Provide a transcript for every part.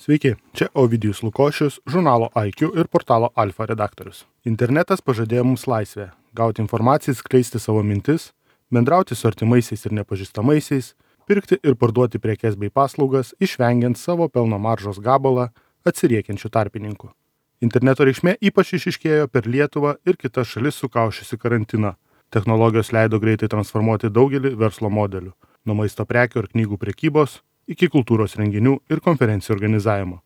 Sveiki, čia Ovidijus Lukošius, žurnalo IQ ir portalo Alfa redaktorius. Internetas pažadėjo mums laisvę – gauti informaciją, skleisti savo mintis, bendrauti su artimaisiais ir nepažįstamaisiais, pirkti ir parduoti prekes bei paslaugas, išvengiant savo pelno maržos gabalą atsiriekiančių tarpininkų. Interneto reikšmė ypač išryškėjo per Lietuvą ir kitas šalis sukaušiusi karantiną. Technologijos leido greitai transformuoti daugelį verslo modelių – nuo maisto prekių ir knygų prekybos iki kultūros renginių ir konferencijų organizavimo.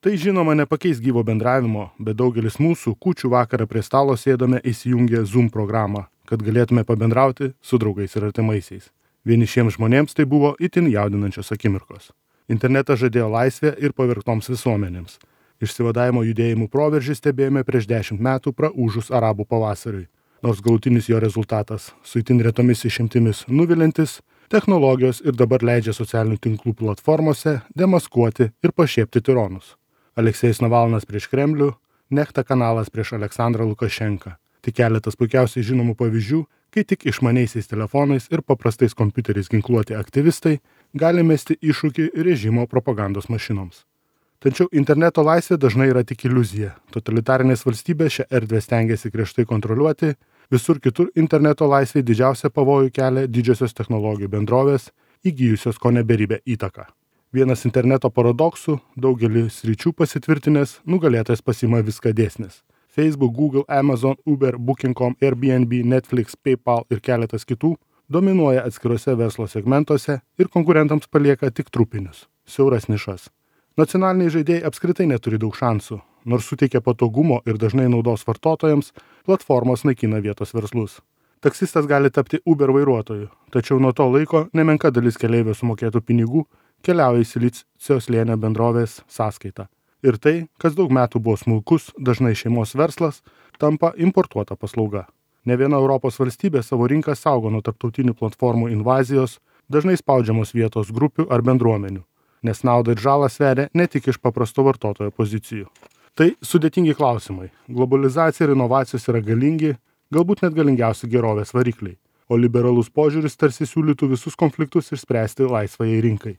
Tai žinoma nepakeis gyvo bendravimo, bet daugelis mūsų kūčių vakarą prie stalo sėdome įsijungę Zoom programą, kad galėtume pabendrauti su draugais ir artimaisiais. Vienišiems žmonėms tai buvo itin jaudinančios akimirkos. Internetas žadėjo laisvę ir pavergtoms visuomenėms. Išsivadavimo judėjimų proveržį stebėjome prieš 10 metų praūžus arabų pavasariui. Nors galutinis jo rezultatas su itin retomis išimtimis nuvilintis, technologijos ir dabar leidžia socialinių tinklų platformose demaskuoti ir pašiepti tironus. Aleksejus Navalnas prieš Kremlių, Nechta kanalas prieš Aleksandrą Lukašenką. Tik keletas puikiausiai žinomų pavyzdžių, kai tik išmaniaisiais telefonais ir paprastais kompiuteriais ginkluoti aktyvistai gali mesti iššūkį režimo propagandos mašinoms. Tačiau interneto laisvė dažnai yra tik iliuzija. Totalitarinės valstybės šią erdvę stengiasi griežtai kontroliuoti. Visur kitur interneto laisvei didžiausią pavojų kelia didžiosios technologijų bendrovės, įgijusios kone beribę įtaką. Vienas interneto paradoksų, daugelį sričių pasitvirtinęs, nugalėtojas pasiima viską dėsnis. Facebook, Google, Amazon, Uber, Booking.com, Airbnb, Netflix, PayPal ir keletas kitų dominuoja atskiruose verslo segmentuose ir konkurentams palieka tik trupinius, siauras nišas. Nacionaliniai žaidėjai apskritai neturi daug šansų. Nors suteikia patogumo ir dažnai naudos vartotojams, platformos naikina vietos verslus. Taksistas gali tapti Uber vairuotoju, tačiau nuo to laiko nemenka dalis keleivio sumokėtų pinigų keliauja į Silicio slėnio bendrovės sąskaitą. Ir tai, kas daug metų buvo smulkus, dažnai šeimos verslas, tampa importuota paslauga. Ne viena Europos valstybė savo rinką saugo nuo tarptautinių platformų invazijos, dažnai spaudžiamos vietos grupių ar bendruomenių, nes naudą ir žalą sveria ne tik iš paprasto vartotojo pozicijų. Tai sudėtingi klausimai. Globalizacija ir inovacijos yra galingi, galbūt net galingiausi gerovės varikliai, o liberalus požiūris tarsi siūlytų visus konfliktus išspręsti laisvajai rinkai.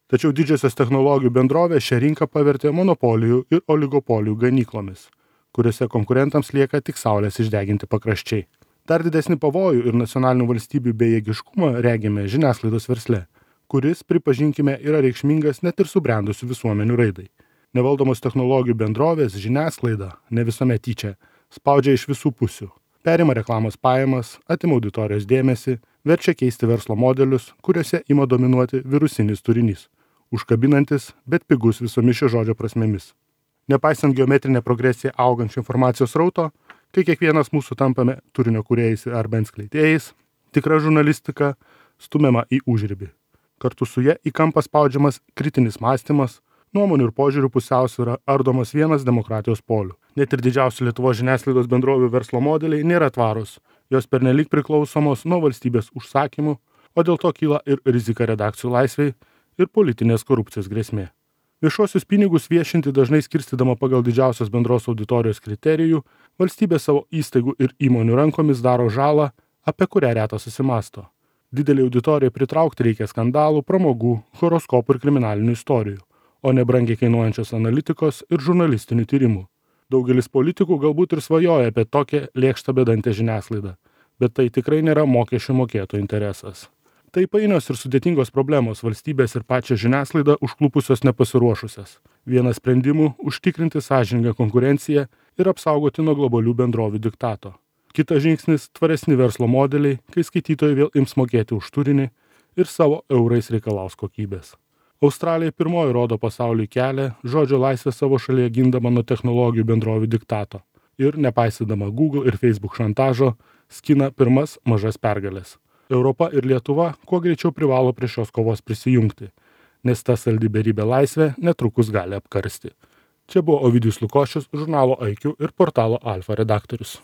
Tačiau didžiosios technologijų bendrovės šią rinką pavertė monopolijų ir oligopolijų ganyklomis, kuriuose konkurentams lieka tik saulės išdeginti pakraščiai. Dar didesnį pavojų ir nacionalinių valstybių bejėgiškumą regime žiniasklaidos versle, kuris, pripažinkime, yra reikšmingas net ir subrendusių visuomenių raidai. Nevaldomos technologijų bendrovės žiniasklaida, ne visuomet tyčia, spaudžia iš visų pusių. Perima reklamos pajamas, atima auditorijos dėmesį, verčia keisti verslo modelius, kuriuose ima dominuoti virusinis turinys, užkabinantis, bet pigus visomis šio žodžio prasmėmis. Nepaisant geometrinę progresiją augančio informacijos srauto, kai kiekvienas mūsų tampame turinio kūrėjais ar bent skleidėjais, tikra žurnalistika stumiama į užribį. Kartu su ja į kampą spaudžiamas kritinis mąstymas, nuomonių ir požiūrių pusiausvyra ardomas vienas demokratijos polių. Net ir didžiausių Lietuvos žiniasklaidos bendrovių verslo modeliai nėra tvarūs. Jos pernelyg priklausomos nuo valstybės užsakymų, o dėl to kyla ir rizika redakcijų laisvei ir politinės korupcijos grėsmė. Viešuosius pinigus viešinti dažnai skirstydama pagal didžiausios bendros auditorijos kriterijų, valstybė savo įstaigų ir įmonių rankomis daro žalą, apie kurią retas susimąsto. Didelį auditoriją pritraukti reikia skandalų, pramogų, horoskopų ir kriminalinių istorijų, o ne brangiai kainuojančios analitikos ir žurnalistinių tyrimų. Daugelis politikų galbūt ir svajoja apie tokią lėkštą bedantę žiniasklaidą, bet tai tikrai nėra mokesčių mokėtojų interesas. Tai painios ir sudėtingos problemos valstybės ir pačią žiniasklaidą užklupusios nepasiruošusias. Vienas sprendimų – užtikrinti sąžiningą konkurenciją ir apsaugoti nuo globalių bendrovių diktato. Kitas žingsnis – tvaresni verslo modeliai, kai skaitytojai vėl ims mokėti už turinį ir savo eurais reikalaus kokybės. Australija pirmoji rodo pasauliui kelią, žodžio laisvę savo šalyje gindama nuo technologijų bendrovių diktato ir, nepaisydama Google ir Facebook šantažo, skina pirmas mažas pergalės. Europa ir Lietuva kuo greičiau privalo prie šios kovos prisijungti, nes ta saldi beribė laisvė netrukus gali apkarsti. Čia buvo Ovidijus Lukošius, žurnalo IQ ir portalo Alfa redaktorius.